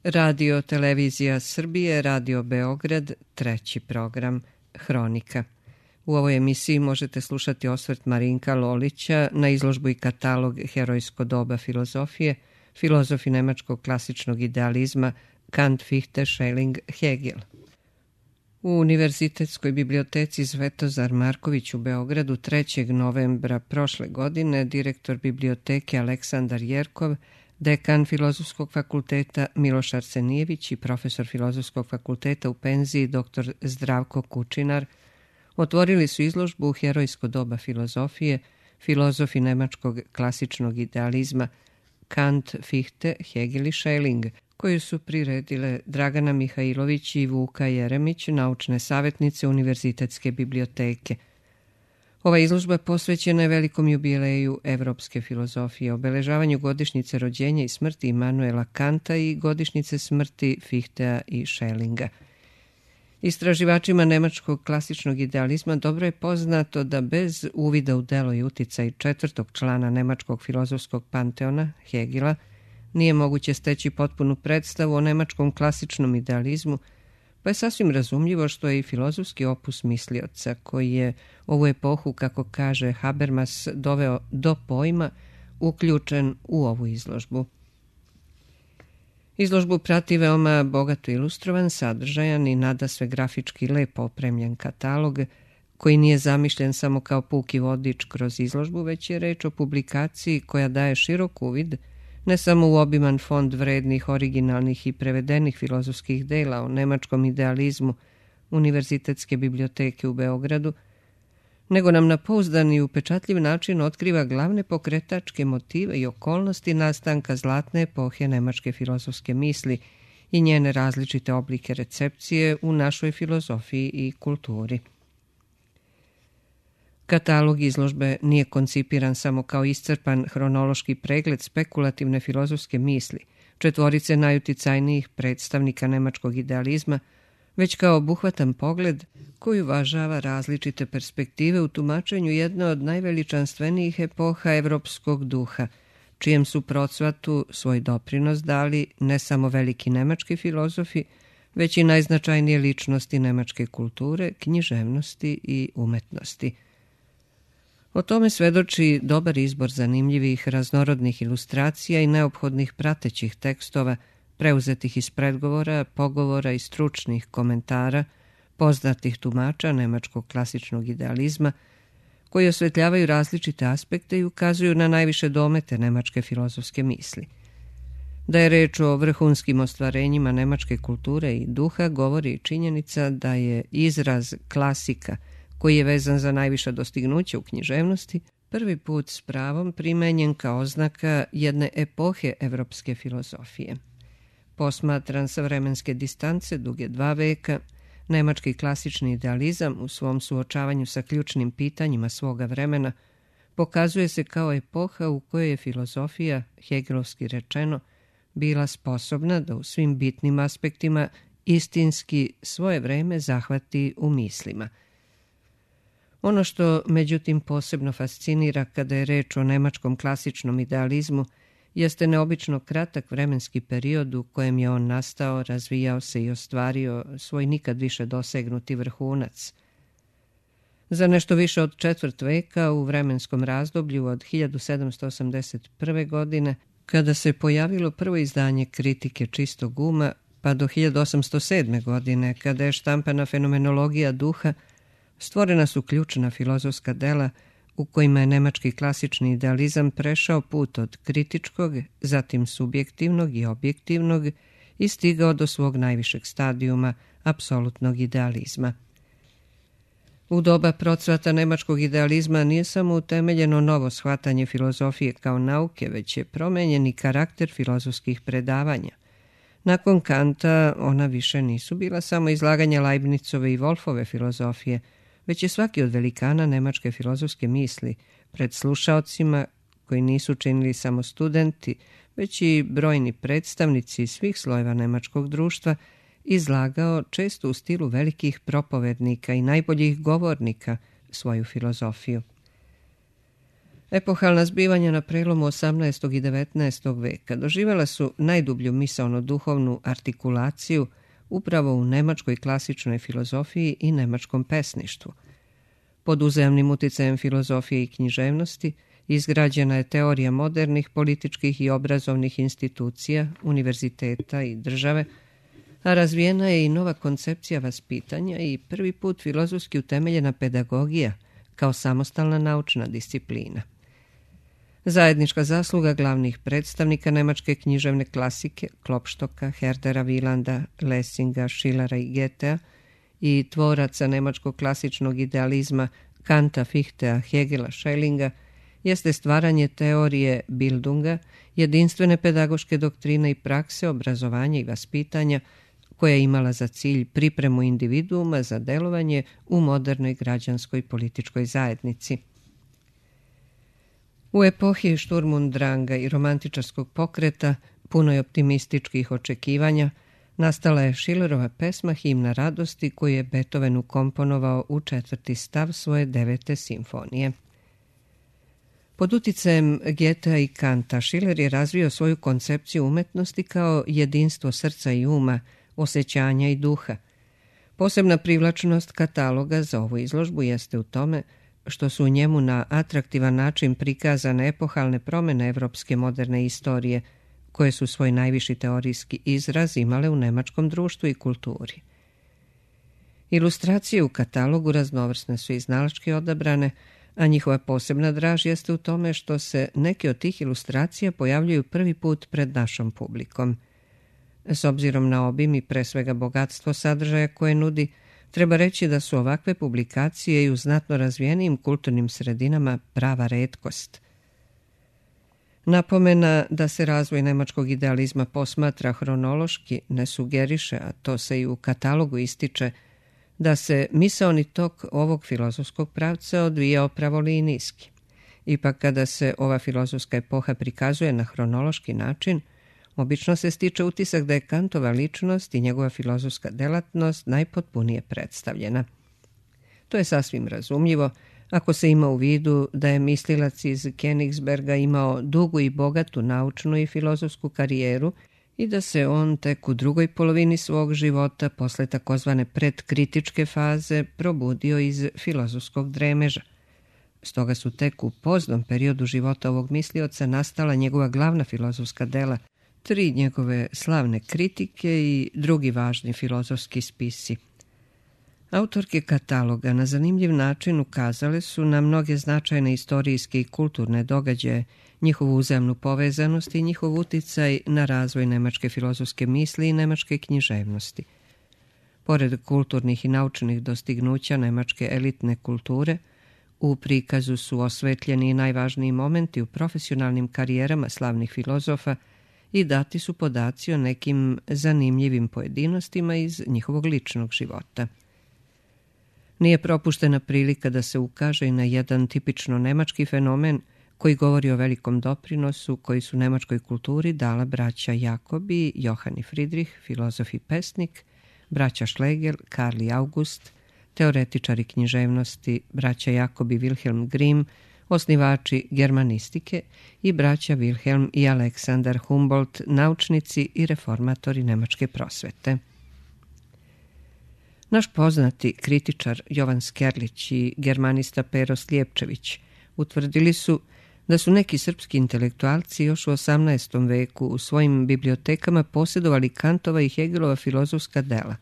Radio Televizija Srbije, Radio Beograd, treći program, Hronika. U ovoj emisiji možete slušati osvrt Marinka Lolića na izložbu i katalog Herojsko doba filozofije, filozofi nemačkog klasičnog idealizma Kant, Fichte, Schelling, Hegel. U Univerzitetskoj biblioteci Svetozar Marković u Beogradu 3. novembra prošle godine direktor biblioteke Aleksandar Jerkov, dekan Filozofskog fakulteta Miloš Arsenijević i profesor Filozofskog fakulteta u penziji dr. Zdravko Kučinar otvorili su izložbu Herojsko doba filozofije, filozofi nemačkog klasičnog idealizma Kant, Fichte, Hegel i Schelling, koju su priredile Dragana Mihajlović i Vuka Jeremić, naučne savjetnice Univerzitetske biblioteke. Ova izložba posvećena je velikom jubileju evropske filozofije, obeležavanju godišnjice rođenja i smrti Immanuela Kanta i godišnjice smrti Fichtea i Schellinga. Istraživačima nemačkog klasičnog idealizma dobro je poznato da bez uvida u delo i uticaj četvrtog člana nemačkog filozofskog panteona, Hegela, nije moguće steći potpunu predstavu o nemačkom klasičnom idealizmu, pa je sasvim razumljivo što je i filozofski opus mislioca, koji je ovu epohu, kako kaže Habermas, doveo do pojma, uključen u ovu izložbu. Izložbu prati veoma bogato ilustrovan, sadržajan i nadasve grafički lepo opremljen katalog, koji nije zamišljen samo kao puki vodič kroz izložbu, već je reč o publikaciji koja daje širok uvid ne samo u obiman fond vrednih, originalnih i prevedenih filozofskih dela o nemačkom idealizmu Univerzitetske biblioteke u Beogradu, nego nam na pouzdan i upečatljiv način otkriva glavne pokretačke motive i okolnosti nastanka zlatne epohe nemačke filozofske misli i njene različite oblike recepcije u našoj filozofiji i kulturi. Katalog izložbe nije koncipiran samo kao iscrpan hronološki pregled spekulativne filozofske misli, četvorice najuticajnijih predstavnika nemačkog idealizma, već kao obuhvatan pogled koji uvažava različite perspektive u tumačenju jedne od najveličanstvenijih epoha evropskog duha, čijem su procvatu svoj doprinos dali ne samo veliki nemački filozofi, već i najznačajnije ličnosti nemačke kulture, književnosti i umetnosti. O tome svedoči dobar izbor zanimljivih raznorodnih ilustracija i neophodnih pratećih tekstova, preuzetih iz predgovora, pogovora i stručnih komentara, poznatih tumača nemačkog klasičnog idealizma, koji osvetljavaju različite aspekte i ukazuju na najviše domete nemačke filozofske misli. Da je reč o vrhunskim ostvarenjima nemačke kulture i duha, govori i činjenica da je izraz klasika, koji je vezan za najviša dostignuća u književnosti, prvi put s pravom primenjen kao oznaka jedne epohe evropske filozofije. Posmatran sa vremenske distance duge 2 veka, nemački klasični idealizam u svom suočavanju sa ključnim pitanjima svoga vremena pokazuje se kao epoha u kojoj je filozofija, hegelovski rečeno, bila sposobna da u svim bitnim aspektima istinski svoje vreme zahvati u mislima. Ono što, međutim, posebno fascinira kada je reč o nemačkom klasičnom idealizmu jeste neobično kratak vremenski period u kojem je on nastao, razvijao se i ostvario svoj nikad više dosegnuti vrhunac. Za nešto više od 4 veka u vremenskom razdoblju od 1781. godine, kada se pojavilo prvo izdanje Kritike čistog uma, pa do 1807. godine, kada je štampana Fenomenologija duha, stvorena su ključna filozofska dela u kojima je nemački klasični idealizam prešao put od kritičkog, zatim subjektivnog i objektivnog i stigao do svog najvišeg stadijuma, apsolutnog idealizma. U doba procvata nemačkog idealizma nije samo utemeljeno novo shvatanje filozofije kao nauke, već je promenjen i karakter filozofskih predavanja. Nakon Kanta ona više nisu bila samo izlaganja Leibnicove i Wolfove filozofije, već je svaki od velikana nemačke filozofske misli pred slušaocima, koji nisu činili samo studenti, već i brojni predstavnici svih slojeva nemačkog društva, izlagao često u stilu velikih propovednika i najboljih govornika svoju filozofiju. Epohalna zbivanja na prelomu 18. i 19. veka doživjela su najdublju misaono-duhovnu artikulaciju upravo u nemačkoj klasičnoj filozofiji i nemačkom pesništvu. Pod uzajamnim uticajem filozofije i književnosti izgrađena je teorija modernih političkih i obrazovnih institucija, univerziteta i države, a razvijena je i nova koncepcija vaspitanja i prvi put filozofski utemeljena pedagogija kao samostalna naučna disciplina. Zajednička zasluga glavnih predstavnika nemačke književne klasike Klopštocka, Herdera Wielandsa, Lessinga, Schillera i Goethea i tvoraca nemačkog klasičnog idealizma Kanta, Fichtea, Hegela, Schellinga jeste stvaranje teorije Bildunga, jedinstvene pedagoške doktrine i prakse obrazovanja i vaspitanja koja je imala za cilj pripremu individuuma za delovanje u modernoj građanskoj političkoj zajednici. U epohi Šturmundranga i romantičarskog pokreta, punoj optimističkih očekivanja, nastala je Schillerova pesma Himna radosti koju je Beethoven ukomponovao u 4. stav svoje 9. simfonije. Pod uticajem Goethea i Kanta, Schiller je razvio svoju koncepciju umetnosti kao jedinstvo srca i uma, osjećanja i duha. Posebna privlačnost kataloga za ovu izložbu jeste u tome što su u njemu na atraktivan način prikazane epohalne promjene evropske moderne istorije, koje su svoj najviši teorijski izraz imale u nemačkom društvu i kulturi. Ilustracije u katalogu raznovrsne su i iznalački odabrane, a njihova posebna draž jeste u tome što se neke od tih ilustracija pojavljuju prvi put pred našom publikom. S obzirom na obim i pre svega bogatstvo sadržaja koje nudi, treba reći da su ovakve publikacije i u znatno razvijenijim kulturnim sredinama prava retkost. Napomena da se razvoj nemačkog idealizma posmatra hronološki ne sugeriše, a to se i u katalogu ističe, da se misaoni tok ovog filozofskog pravca odvijao pravolinijski. Ipak kada se ova filozofska epoha prikazuje na hronološki način, obično se stiče utisak da je Kantova ličnost i njegova filozofska delatnost najpotpunije predstavljena. To je sasvim razumljivo ako se ima u vidu da je mislilac iz Königsberga imao dugu i bogatu naučnu i filozofsku karijeru i da se on tek u drugoj polovini svog života, posle takozvane predkritičke faze, probudio iz filozofskog dremeža. Stoga su tek u poznom periodu života ovog mislioca nastala njegova glavna filozofska dela, 3 njegove slavne kritike i drugi važni filozofski spisi. Autorke kataloga na zanimljiv način ukazale su na mnoge značajne istorijske i kulturne događaje, njihovu uzajamnu povezanost i njihov uticaj na razvoj nemačke filozofske misli i nemačke književnosti. Pored kulturnih i naučnih dostignuća nemačke elitne kulture, u prikazu su osvetljeni i najvažniji momenti u profesionalnim karijerama slavnih filozofa i dati su podaci o nekim zanimljivim pojedinostima iz njihovog ličnog života. Nije propuštena prilika da se ukaže i na jedan tipično nemački fenomen koji govori o velikom doprinosu koji su nemačkoj kulturi dala braća Jakob i Johann Friedrich, filozof i pesnik, braća Schlegel, Karl i August, teoretičari književnosti, braća Jakob i Wilhelm Grimm, osnivači germanistike i braća Wilhelm i Aleksandar Humboldt, naučnici i reformatori nemačke prosvete. Naš poznati kritičar Jovan Skerlić i germanista Pero Slijepčević utvrdili su da su neki srpski intelektualci još u 18. veku u svojim bibliotekama posjedovali Kantova i Hegelova filozofska dela,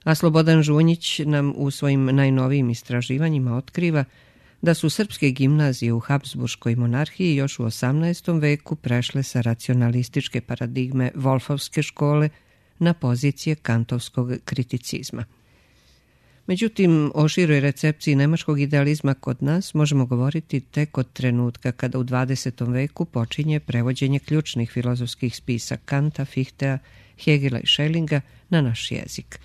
a Slobodan Žunjić nam u svojim najnovijim istraživanjima otkriva da su srpske gimnazije u Habsburškoj monarhiji još u 18. veku prešle sa racionalističke paradigme Wolfovske škole na pozicije kantovskog kriticizma. Međutim, o široj recepciji nemačkog idealizma kod nas možemo govoriti tek od trenutka kada u 20. veku počinje prevođenje ključnih filozofskih spisa Kanta, Fichtea, Hegela i Schellinga na naš jezik.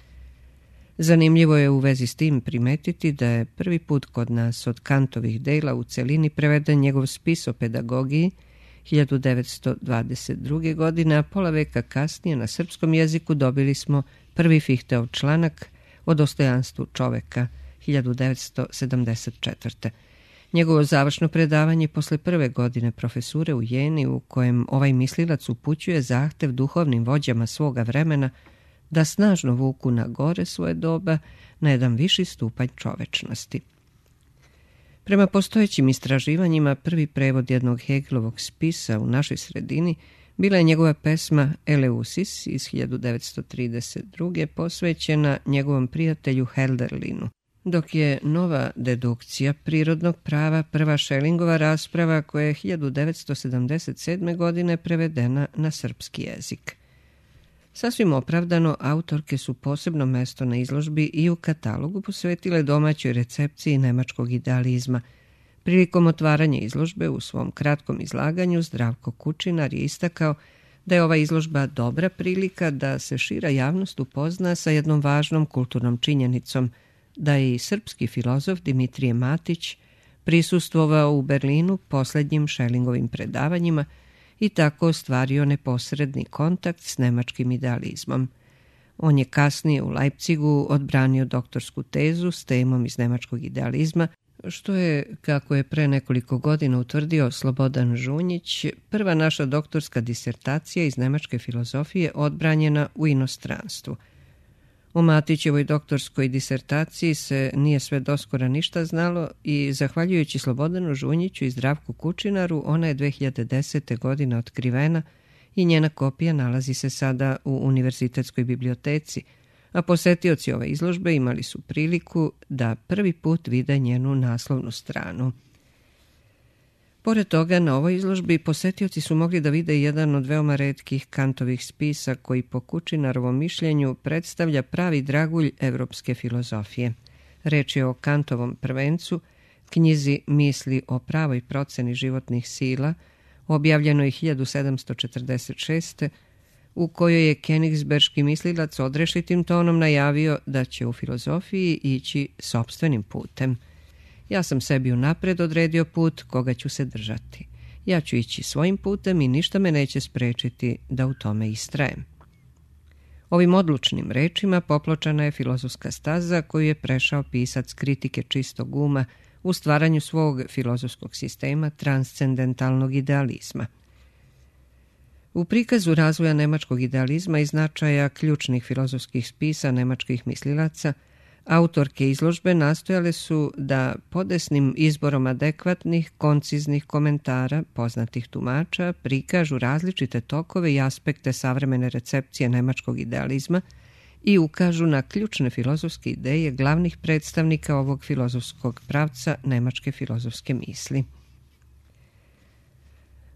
Zanimljivo je u vezi s tim primetiti da je prvi put kod nas od Kantovih dela u celini preveden njegov spis o pedagogiji 1922. godine, a pola veka kasnije na srpskom jeziku dobili smo prvi Fichteov članak o dostojanstvu čoveka 1974. Njegovo završno predavanje posle prve godine profesure u Jeni, u kojem ovaj mislilac upućuje zahtev duhovnim vođama svoga vremena da snažno vuku na gore svoje doba na jedan viši stupanj čovečnosti. Prema postojećim istraživanjima, prvi prevod jednog Hegelovog spisa u našoj sredini bila je njegova pesma Eleusis iz 1932. posvećena njegovom prijatelju Hölderlinu, dok je nova dedukcija prirodnog prava prva Schellingova rasprava koja je 1977. godine prevedena na srpski jezik. Sasvim opravdano, autorke su posebno mesto na izložbi i u katalogu posvetile domaćoj recepciji nemačkog idealizma. Prilikom otvaranja izložbe u svom kratkom izlaganju Zdravko Kučinar je istakao da je ova izložba dobra prilika da se šira javnost upozna sa jednom važnom kulturnom činjenicom, da je i srpski filozof Dimitrije Matić prisustvovao u Berlinu posljednjim Schellingovim predavanjima i tako ostvario neposredni kontakt s nemačkim idealizmom. On je kasnije u Leipzigu odbranio doktorsku tezu s temom iz nemačkog idealizma, što je, kako je pre nekoliko godina utvrdio Slobodan Žunjić, prva naša doktorska disertacija iz nemačke filozofije odbranjena u inostranstvu. O Matićevoj doktorskoj disertaciji se nije sve doskora ništa znalo i, zahvaljujući Slobodanu Žunjiću i Zdravku Kučinaru, ona je 2010. godine otkrivena i njena kopija nalazi se sada u Univerzitetskoj biblioteci, a posetioci ove izložbe imali su priliku da prvi put vide njenu naslovnu stranu. Pored toga, na ovoj izložbi posetioci su mogli da vide jedan od veoma retkih Kantovih spisa koji po Kučinarovom mišljenju predstavlja pravi dragulj evropske filozofije. Reč je o Kantovom prvencu, knjizi Misli o pravoj proceni životnih sila, objavljenoj 1746. u kojoj je kenigsberški mislilac odrešitim tonom najavio da će u filozofiji ići sopstvenim putem. Ja sam sebi unapred odredio put koga ću se držati. Ja ću ići svojim putem i ništa me neće sprečiti da u tome istrajem. Ovim odlučnim rečima popločana je filozofska staza koju je prešao pisac kritike čistog uma u stvaranju svog filozofskog sistema transcendentalnog idealizma. U prikazu razvoja nemačkog idealizma i značaja ključnih filozofskih spisa nemačkih mislilaca, autorke izložbe nastojale su da podesnim izborom adekvatnih, konciznih komentara poznatih tumača prikažu različite tokove i aspekte savremene recepcije nemačkog idealizma i ukažu na ključne filozofske ideje glavnih predstavnika ovog filozofskog pravca nemačke filozofske misli.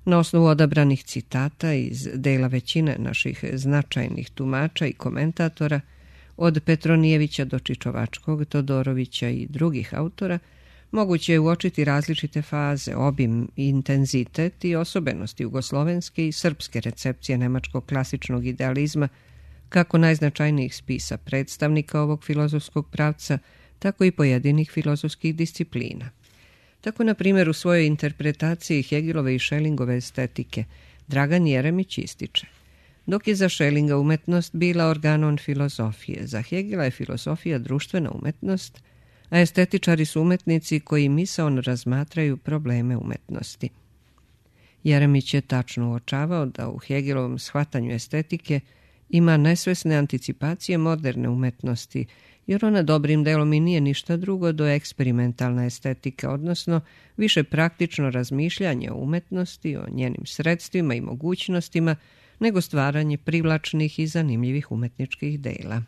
Na osnovu odabranih citata iz dela većine naših značajnih tumača i komentatora, od Petronijevića do Čičovačkog, Todorovića i drugih autora, moguće je uočiti različite faze, obim, intenzitet i osobenosti jugoslovenske i srpske recepcije nemačkog klasičnog idealizma, kako najznačajnijih spisa predstavnika ovog filozofskog pravca, tako i pojedinih filozofskih disciplina. Tako, na primjer, u svojoj interpretaciji Hegelove i Schellingove estetike Dragan Jeremić ističe: dok je za Schellinga umetnost bila organon filozofije, za Hegela je filozofija društvena umetnost, a estetičari su umetnici koji misaon razmatraju probleme umetnosti. Jeremić je tačno uočavao da u Hegelovom shvatanju estetike ima nesvesne anticipacije moderne umetnosti, jer ona dobrim delom i nije ništa drugo do eksperimentalna estetika, odnosno više praktično razmišljanje o umetnosti, o njenim sredstvima i mogućnostima, nego stvaranje privlačnih i zanimljivih umetničkih dela.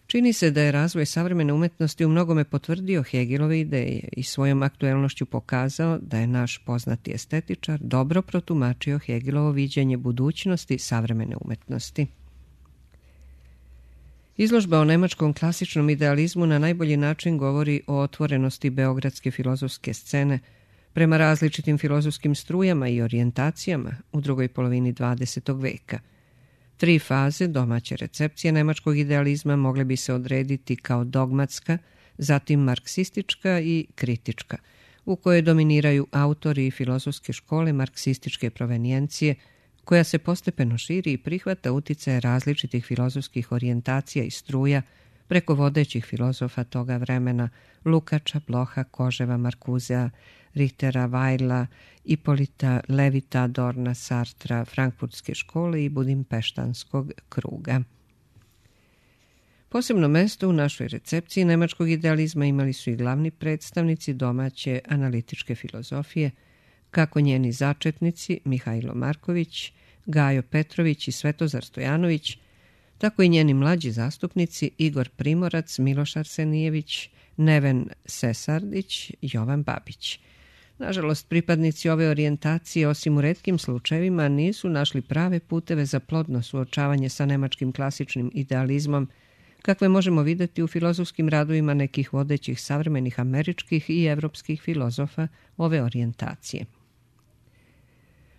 Čini se da je razvoj savremene umetnosti u mnogome potvrdio Hegelove ideje i svojom aktuelnošću pokazao da je naš poznati estetičar dobro protumačio Hegelovo viđenje budućnosti savremene umetnosti. Izložba o nemačkom klasičnom idealizmu na najbolji način govori o otvorenosti beogradske filozofske scene prema različitim filozofskim strujama i orijentacijama u drugoj polovini 20. veka. 3 faze domaće recepcije nemačkog idealizma mogle bi se odrediti kao dogmatska, zatim marksistička i kritička, u kojoj dominiraju autori i filozofske škole marksističke provenijencije, koja se postepeno širi i prihvata uticaje različitih filozofskih orijentacija i struja, preko vodećih filozofa toga vremena Lukača, Bloha, Koževa, Markuzea, Richtera, Weila, Ipolita, Levita, Adorna, Sartra, Frankfurtske škole i Budimpeštanskog kruga. Posebno mesto u našoj recepciji nemačkog idealizma imali su i glavni predstavnici domaće analitičke filozofije, kako njeni začetnici Mihajlo Marković, Gajo Petrović i Svetozar Stojanović, tako i njeni mlađi zastupnici Igor Primorac, Miloš Arsenijević, Neven Sesardić, Jovan Babić. Nažalost, pripadnici ove orijentacije, osim u retkim slučajevima, nisu našli prave puteve za plodno suočavanje sa nemačkim klasičnim idealizmom, kakve možemo vidjeti u filozofskim radovima nekih vodećih savremenih američkih i evropskih filozofa ove orijentacije.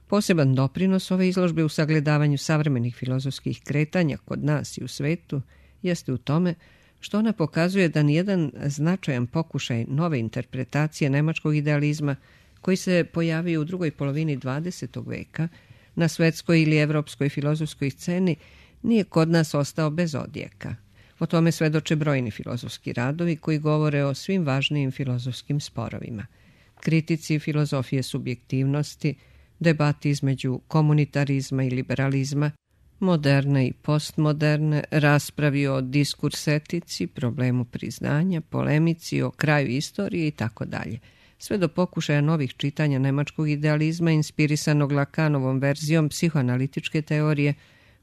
Poseban doprinos ove izložbe u sagledavanju savremenih filozofskih kretanja kod nas i u svetu jeste u tome što ona pokazuje da nijedan značajan pokušaj nove interpretacije nemačkog idealizma koji se pojavio u drugoj polovini 20. veka na svetskoj ili evropskoj filozofskoj sceni nije kod nas ostao bez odjeka. O tome svedoče brojni filozofski radovi koji govore o svim važnijim filozofskim sporovima. Kritici filozofije subjektivnosti, debati između komunitarizma i liberalizma, moderne i postmoderne, raspravi o diskursetici, problemu priznanja, polemici o kraju istorije itd. Sve do pokušaja novih čitanja nemačkog idealizma inspirisanog Lakanovom verzijom psihoanalitičke teorije,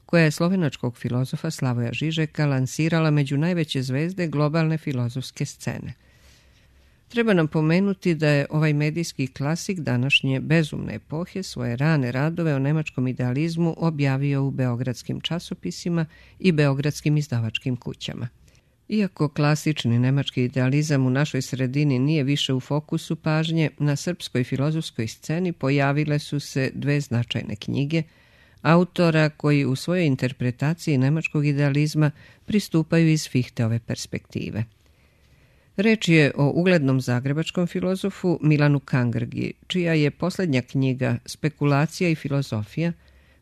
koja je slovenačkog filozofa Slavoja Žižeka lansirala među najveće zvezde globalne filozofske scene. Treba nam pomenuti da je ovaj medijski klasik današnje bezumne epohe svoje rane radove o nemačkom idealizmu objavio u beogradskim časopisima i beogradskim izdavačkim kućama. Iako klasični nemački idealizam u našoj sredini nije više u fokusu pažnje, na srpskoj filozofskoj sceni pojavile su se dve značajne knjige autora koji u svojoj interpretaciji nemačkog idealizma pristupaju iz Fichteove perspektive. Reč je o uglednom zagrebačkom filozofu Milanu Kangrgi, čija je posljednja knjiga Spekulacija i filozofija,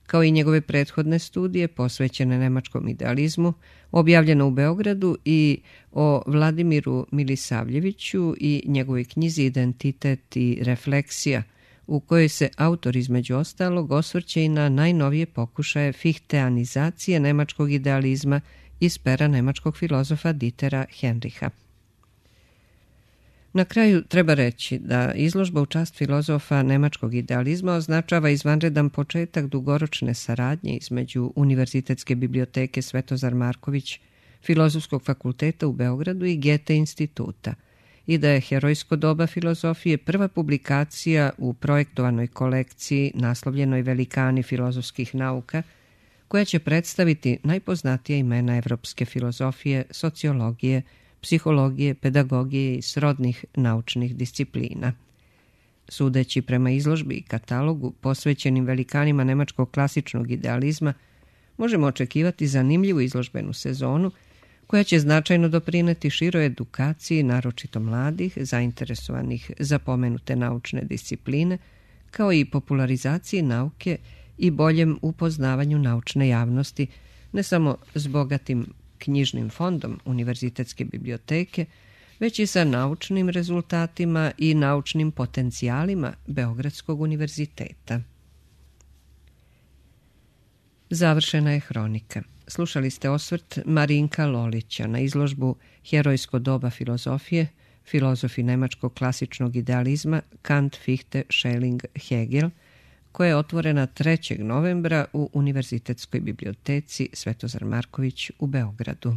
kao i njegove prethodne studije posvećene nemačkom idealizmu, objavljena u Beogradu, i o Vladimiru Milisavljeviću i njegovoj knjizi Identitet i refleksija, u kojoj se autor između ostalog osvrće i na najnovije pokušaje fihteanizacije nemačkog idealizma iz pera nemačkog filozofa Dietera Henricha. Na kraju treba reći da izložba u čast filozofa nemačkog idealizma označava izvanredan početak dugoročne saradnje između Univerzitetske biblioteke Svetozar Marković, Filozofskog fakulteta u Beogradu i Goethe instituta, i da je Herojsko doba filozofije prva publikacija u projektovanoj kolekciji naslovljenoj Velikani filozofskih nauka, koja će predstaviti najpoznatija imena evropske filozofije, sociologije, psihologije, pedagogije i srodnih naučnih disciplina. Sudeći prema izložbi i katalogu posvećenim velikanima nemačkog klasičnog idealizma, možemo očekivati zanimljivu izložbenu sezonu koja će značajno doprineti široj edukaciji, naročito mladih, zainteresovanih za pomenute naučne discipline, kao i popularizaciji nauke i boljem upoznavanju naučne javnosti, ne samo s bogatim knjižnim fondom Univerzitetske biblioteke, već i sa naučnim rezultatima i naučnim potencijalima Beogradskog univerziteta. Završena je hronika. Slušali ste osvrt Marinka Lolića na izložbu Herojsko doba filozofije, filozofi nemačkog klasičnog idealizma Kant, Fichte, Schelling, Hegel, koja je otvorena 3. novembra u Univerzitetskoj biblioteci Svetozar Marković u Beogradu.